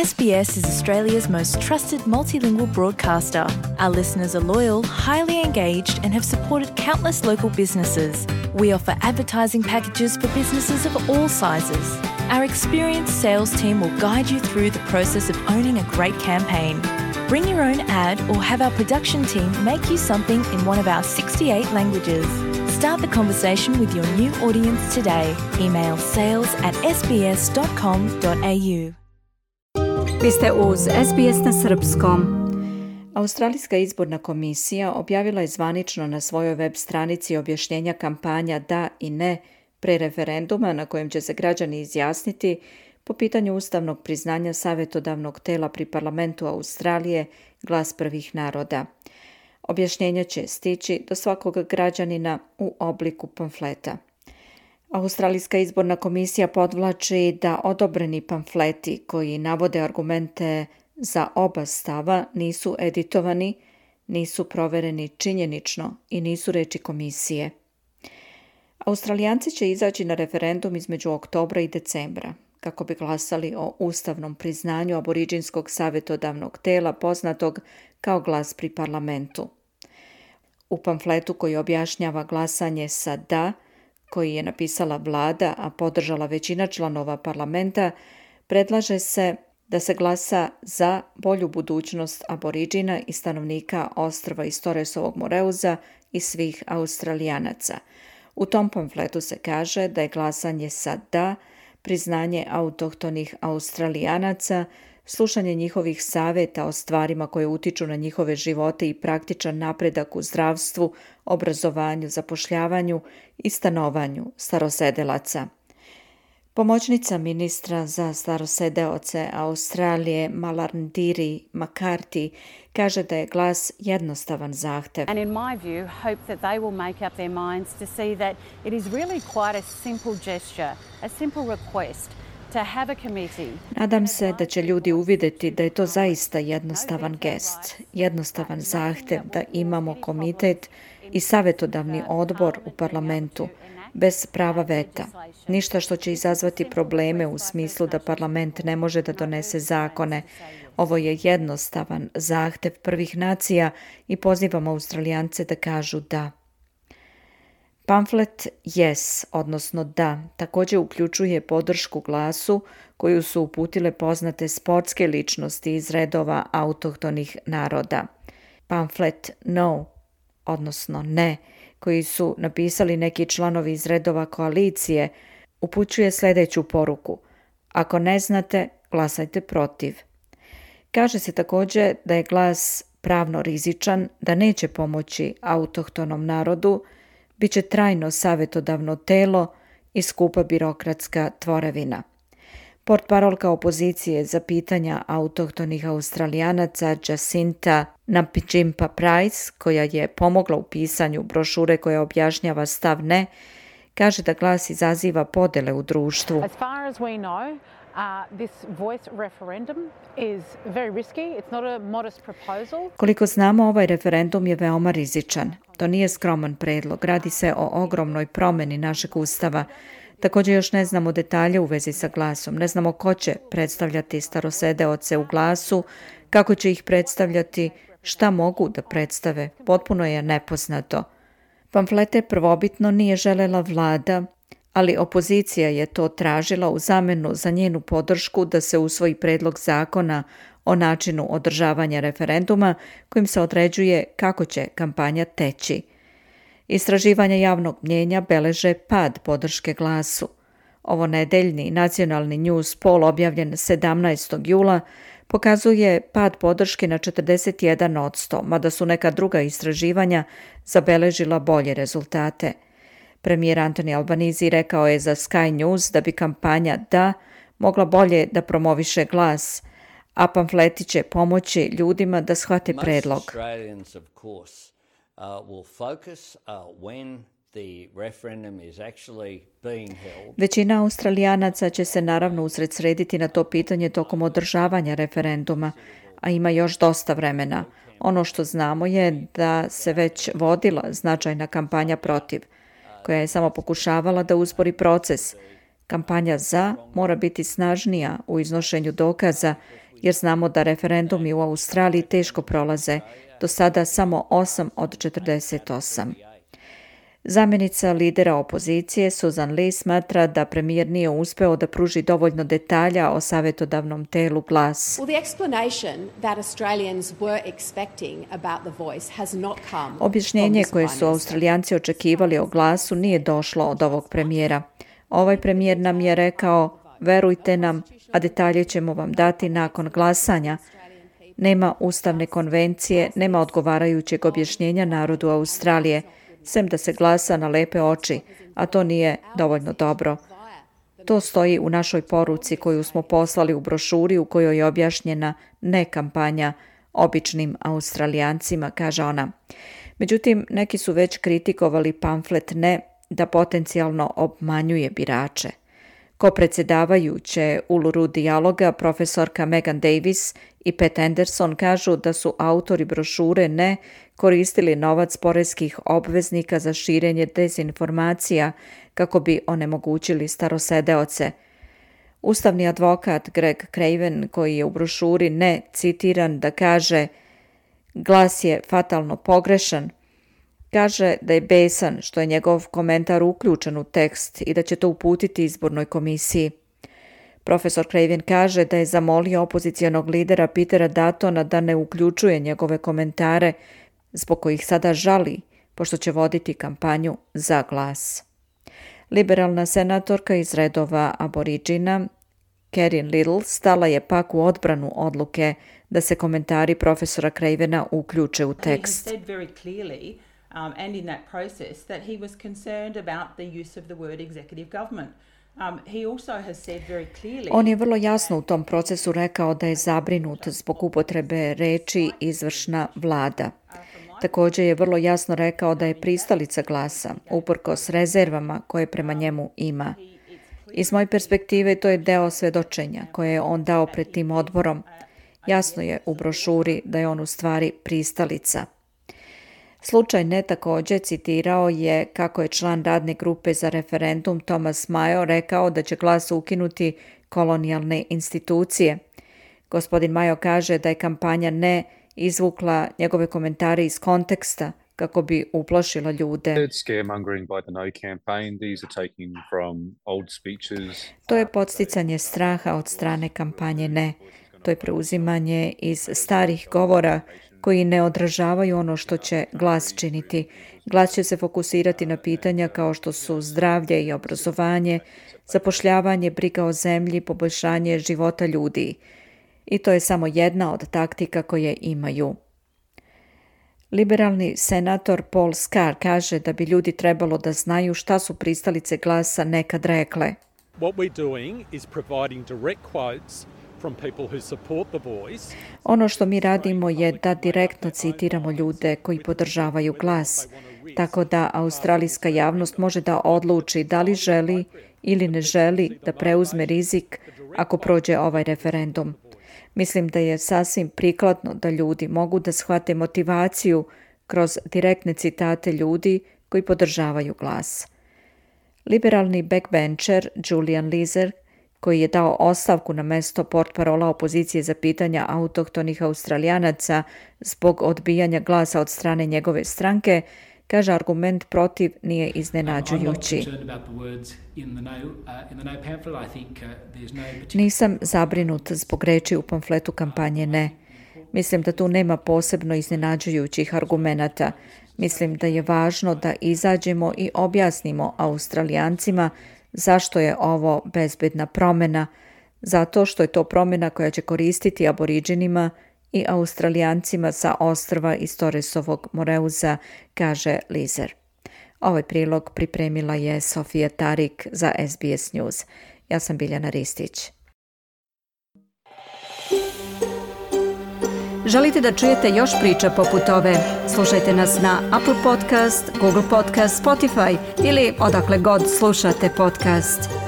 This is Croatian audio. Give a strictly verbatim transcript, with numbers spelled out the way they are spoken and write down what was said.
S B S is Australia's most trusted multilingual broadcaster. Our listeners are loyal, highly engaged, and have supported countless local businesses. We offer advertising packages for businesses of all sizes. Our experienced sales team will guide you through the process of owning a great campaign. Bring your own ad or have our production team make you something in one of our sixty-eight languages. Start the conversation with your new audience today. Email sales at s b s dot com dot a u. Vi ste uz S B S na srpskom. Australijska izborna komisija objavila je zvanično na svojoj web stranici objašnjenja kampanja da i ne pre referenduma na kojem će se građani izjasniti po pitanju ustavnog priznanja savjetodavnog tela pri parlamentu Australije Glas prvih naroda. Objašnjenja će stići do svakog građanina u obliku pamfleta. Australijska izborna komisija podvlači da odobreni pamfleti koji navode argumente za oba stava nisu editovani, nisu provereni činjenično i nisu reči komisije. Australijanci će izaći na referendum između oktobra i decembra kako bi glasali o ustavnom priznanju aboriđinskog savjetodavnog tela poznatog kao Glas pri parlamentu. U pamfletu koji objašnjava glasanje sa da, koji je napisala vlada, a podržala većina članova parlamenta, predlaže se da se glasa za bolju budućnost aboriđina i stanovnika ostrva iz Torresovog Moreuza i svih Australijanaca. U tom pamfletu se kaže da je glasanje sa da priznanje autohtonih Australijanaca, slušanje njihovih savjeta o stvarima koje utiču na njihove živote i praktičan napredak u zdravstvu, obrazovanju, zapošljavanju i stanovanju starosedelaca. Pomoćnica ministra za starosedeoce Australije Malarndirri McCarthy kaže da je glas jednostavan zahtev. And in my view, hope that they will make up their minds to see that it is really quite a simple gesture, a simple request to have a committee. Nadam se da će ljudi uvidjeti da je to zaista jednostavan gest, jednostavan zahtev da imamo komitet i savjetodavni odbor u parlamentu, bez prava veta. Ništa što će izazvati probleme u smislu da parlament ne može da donese zakone. Ovo je jednostavan zahtev prvih nacija i pozivamo Australijance da kažu da. Pamflet yes, odnosno da, također uključuje podršku glasu koju su uputile poznate sportske ličnosti iz redova autohtonih naroda. Pamflet no, odnosno ne, koji su napisali neki članovi iz redova koalicije, upućuje sljedeću poruku. Ako ne znate, glasajte protiv. Kaže se također da je glas pravno rizičan, da neće pomoći autohtonom narodu, bit će trajno savjetodavno telo i skupa birokratska tvorevina. Portparolka opozicije za pitanja autohtonih Australijanaca Jacinta Nampijinpa-Price, koja je pomogla u pisanju brošure koja objašnjava stav ne, kaže da glas izaziva podele u društvu. As far as we know, Uh, this voice referendum is very risky. It's not a modest proposal. Koliko znamo, ovaj referendum je veoma rizičan. To nije skroman predlog. Radi se o ogromnoj promjeni našeg ustava. Također još ne znamo detalje u vezi sa glasom. Ne znamo ko će predstavljati starosedeoce u glasu, kako će ih predstavljati, šta mogu da predstave. Potpuno je nepoznato. Pamflete prvobitno nije želela vlada, ali opozicija je to tražila u zamenu za njenu podršku da se usvoji predlog zakona o načinu održavanja referenduma kojim se određuje kako će kampanja teći. Istraživanja javnog mnjenja beleže pad podrške glasu. Ovo nedeljni nacionalni news poll objavljen sedamnaestog jula pokazuje pad podrške na četrdeset jedan posto, mada su neka druga istraživanja zabeležila bolje rezultate. Premijer Anthony Albanese rekao je za Sky News da bi kampanja da mogla bolje da promoviše glas, a pamfleti će pomoći ljudima da shvate predlog. Većina Australijanaca će se naravno usredsrediti na to pitanje tokom održavanja referenduma, a ima još dosta vremena. Ono što znamo je da se već vodila značajna kampanja protiv, koja je samo pokušavala da uspori proces. Kampanja za mora biti snažnija u iznošenju dokaza jer znamo da referendumi u Australiji teško prolaze, do sada samo osam od četrdeset osam. Zamjenica lidera opozicije Susan Lee smatra da premijer nije uspeo da pruži dovoljno detalja o savjetodavnom telu Glas. Objašnjenje koje su Australijanci očekivali o Glasu nije došlo od ovog premijera. Ovaj premijer nam je rekao, verujte nam, a detalje ćemo vam dati nakon glasanja. Nema ustavne konvencije, nema odgovarajućeg objašnjenja narodu Australije, sem da se glasa na lepe oči, a to nije dovoljno dobro. To stoji u našoj poruci koju smo poslali u brošuri u kojoj je objašnjena ne kampanja običnim Australijancima, kaže ona. Međutim, neki su već kritikovali pamflet ne da potencijalno obmanjuje birače. Ko predsjedavajuće Uluru dijaloga, profesorka Megan Davis i Pat Anderson kažu da su autori brošure ne koristili novac poreskih obveznika za širenje dezinformacija kako bi onemogućili starosedeoce. Ustavni advokat Greg Craven, koji je u brošuri ne citiran da kaže Glas je fatalno pogrešan, kaže da je besan što je njegov komentar uključen u tekst i da će to uputiti izbornoj komisiji. Profesor Craven kaže da je zamolio opozicijonog lidera Petera Duttona da ne uključuje njegove komentare, zbog kojih sada žali, pošto će voditi kampanju za Glas. Liberalna senatorka iz redova Aboriđina, Karin Little, stala je pak u odbranu odluke da se komentari profesora Cravena uključe u tekst. Um, and in that process that he was concerned about the use of the word executive government. Um, he also has said very clearly... On je vrlo jasno u tom procesu rekao da je zabrinut zbog upotrebe reči izvršna vlada. Također je vrlo jasno rekao da je pristalica Glasa, uprkos rezervama koje prema njemu ima. Iz moje perspektive to je deo svedočenja koje je on dao pred tim odborom. Jasno je u brošuri da je on u stvari pristalica. Slučaj ne također citirao je kako je član radne grupe za referendum Thomas Mayo rekao da će Glas ukinuti kolonijalne institucije. Gospodin Mayo kaže da je kampanja ne izvukla njegove komentare iz konteksta kako bi uplašila ljude. To je podsticanje straha od strane kampanje ne. To je preuzimanje iz starih govora koji ne odražavaju ono što će Glas činiti. Glas će se fokusirati na pitanja kao što su zdravlje i obrazovanje, zapošljavanje, briga o zemlji, poboljšanje života ljudi. I to je samo jedna od taktika koje imaju. Liberalni senator Paul Scar kaže da bi ljudi trebalo da znaju šta su pristalice Glasa nekad rekle. What we're doing is providing direct quotes from people who support the voice. Ono što mi radimo je da direktno citiramo ljude koji podržavaju Glas, tako da australijska javnost može da odluči da li želi ili ne želi da preuzme rizik ako prođe ovaj referendum. Mislim da je sasvim prikladno da ljudi mogu da shvate motivaciju kroz direktne citate ljudi koji podržavaju Glas. Liberalni backbencher Julian Leeser, koji je dao ostavku na mesto portparola opozicije za pitanja autohtonih Australijanaca zbog odbijanja glasa od strane njegove stranke, kaže argument protiv nije iznenađujući. Nisam zabrinut zbog reči u pamfletu kampanje ne. Mislim da tu nema posebno iznenađujućih argumenata. Mislim da je važno da izađemo i objasnimo Australijancima zašto je ovo bezbedna promjena, zato što je to promjena koja će koristiti Aboriđinima i Australijancima sa ostrva iz Torresovog Moreuza, kaže Leeser. Ovaj prilog pripremila je Sofija Tarik za S B S News. Ja sam Biljana Ristić. Želite da čujete još priča poput ove? Slušajte nas na Apple Podcast, Google Podcast, Spotify ili odakle god slušate podcast.